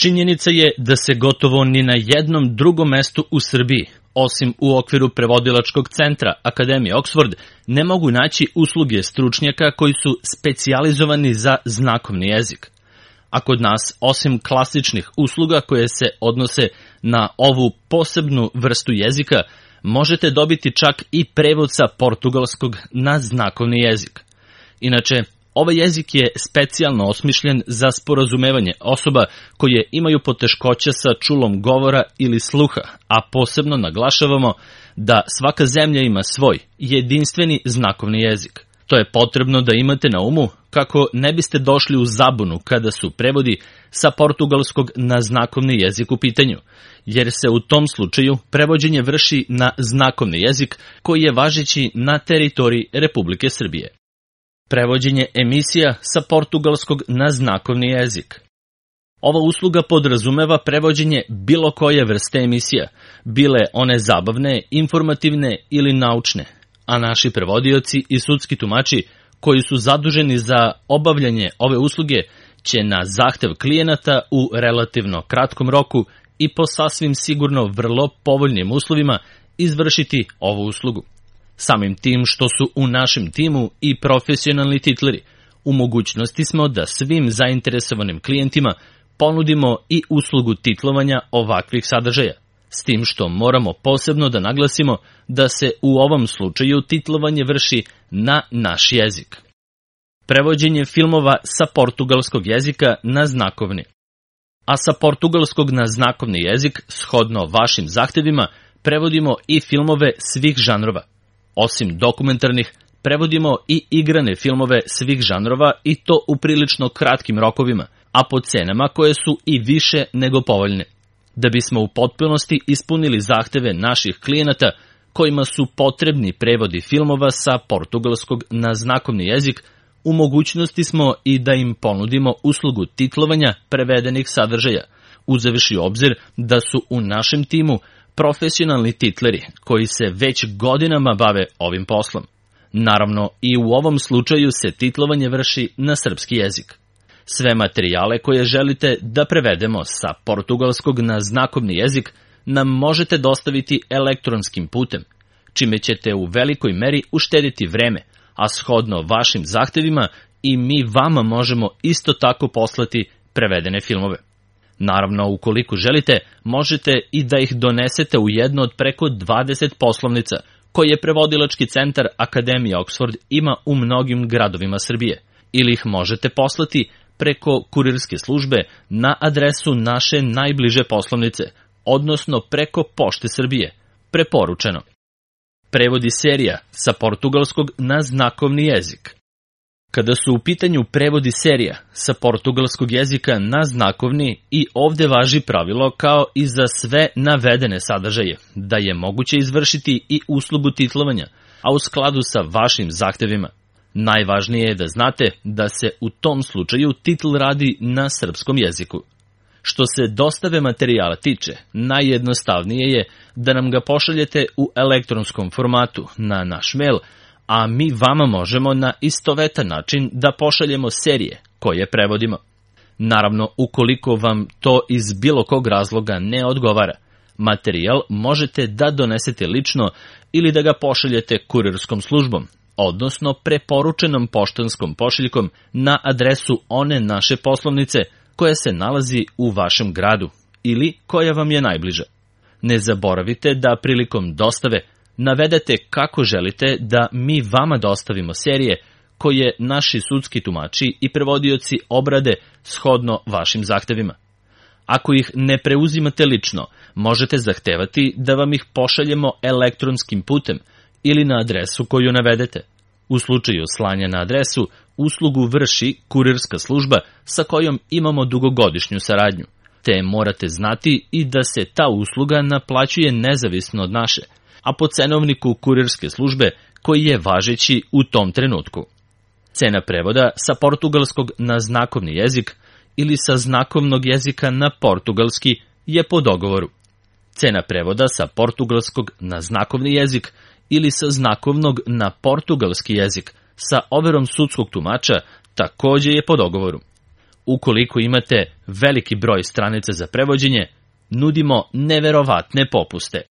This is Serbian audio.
Činjenica je da se gotovo ni na jednom drugom mestu u Srbiji, osim u okviru prevodilačkog centra Akademije Oxford, ne mogu naći usluge stručnjaka koji su specijalizovani za znakovni jezik. A kod nas, osim klasičnih usluga koje se odnose na ovu posebnu vrstu jezika, možete dobiti čak i prevod sa portugalskog na znakovni jezik. Inače, ovaj jezik je specijalno osmišljen za sporazumevanje osoba koje imaju poteškoća sa čulom govora ili sluha, a posebno naglašavamo da svaka zemlja ima svoj jedinstveni znakovni jezik. To je potrebno da imate na umu kako ne biste došli u zabunu kada su prevodi sa portugalskog na znakovni jezik u pitanju, jer se u tom slučaju prevođenje vrši na znakovni jezik koji je važeći na teritoriji Republike Srbije. Prevođenje emisija sa portugalskog na znakovni jezik. Ova usluga podrazumeva prevođenje bilo koje vrste emisija, bile one zabavne, informativne ili naučne, a naši prevodioci i sudski tumači koji su zaduženi za obavljanje ove usluge će na zahtev klijenata u relativno kratkom roku i po sasvim sigurno vrlo povoljnim uslovima izvršiti ovu uslugu. Samim tim što su u našem timu i profesionalni titleri, u mogućnosti smo da svim zainteresovanim klijentima ponudimo i uslugu titlovanja ovakvih sadržaja, s tim što moramo posebno da naglasimo da se u ovom slučaju titlovanje vrši na naš jezik. Prevođenje filmova sa portugalskog jezika na znakovni. A sa portugalskog na znakovni jezik, shodno vašim zahtevima, prevodimo i filmove svih žanrova. Osim dokumentarnih, prevodimo i igrane filmove svih žanrova i to u prilično kratkim rokovima, a po cenama koje su i više nego povoljne. Da bismo u potpunosti ispunili zahteve naših klijenata kojima su potrebni prevodi filmova sa portugalskog na znakovni jezik, u mogućnosti smo i da im ponudimo uslugu titlovanja prevedenih sadržaja, uzevši u obzir da su u našem timu profesionalni titleri koji se već godinama bave ovim poslom. Naravno, i u ovom slučaju se titlovanje vrši na srpski jezik. Sve materijale koje želite da prevedemo sa portugalskog na znakovni jezik nam možete dostaviti elektronskim putem, čime ćete u velikoj meri uštediti vreme, a shodno vašim zahtevima i mi vama možemo isto tako poslati prevedene filmove. Naravno, ukoliko želite, možete i da ih donesete u jedno od preko 20 poslovnica koje prevodilački centar Akademije Oxford ima u mnogim gradovima Srbije, ili ih možete poslati preko kurirske službe na adresu naše najbliže poslovnice, odnosno preko Pošte Srbije, preporučeno. Prevodi serija sa portugalskog na znakovni jezik. Kada su u pitanju prevodi serija sa portugalskog jezika na znakovni, i ovde važi pravilo kao i za sve navedene sadržaje, da je moguće izvršiti i uslugu titlovanja, a u skladu sa vašim zahtevima. Najvažnije je da znate da se u tom slučaju titl radi na srpskom jeziku. Što se dostave materijala tiče, najjednostavnije je da nam ga pošaljete u elektronskom formatu na naš mail, a mi vama možemo na istovetan način da pošaljemo serije koje prevodimo. Naravno, ukoliko vam to iz bilo kog razloga ne odgovara, materijal možete da donesete lično ili da ga pošaljete kurirskom službom, odnosno preporučenom poštanskom pošiljkom na adresu one naše poslovnice koja se nalazi u vašem gradu ili koja vam je najbliža. Ne zaboravite da prilikom dostave navedete kako želite da mi vama dostavimo serije koje naši sudski tumači i prevodioci obrade shodno vašim zahtevima. Ako ih ne preuzimate lično, možete zahtevati da vam ih pošaljemo elektronskim putem ili na adresu koju navedete. U slučaju slanja na adresu, uslugu vrši kurirska služba sa kojom imamo dugogodišnju saradnju, te morate znati i da se ta usluga naplaćuje nezavisno od naše, a po cenovniku kurirske službe koji je važeći u tom trenutku. Cena prevoda sa portugalskog na znakovni jezik ili sa znakovnog jezika na portugalski je po dogovoru. Cena prevoda sa portugalskog na znakovni jezik ili sa znakovnog na portugalski jezik sa overom sudskog tumača takođe je po dogovoru. ukoliko imate veliki broj stranica za prevođenje, nudimo neverovatne popuste.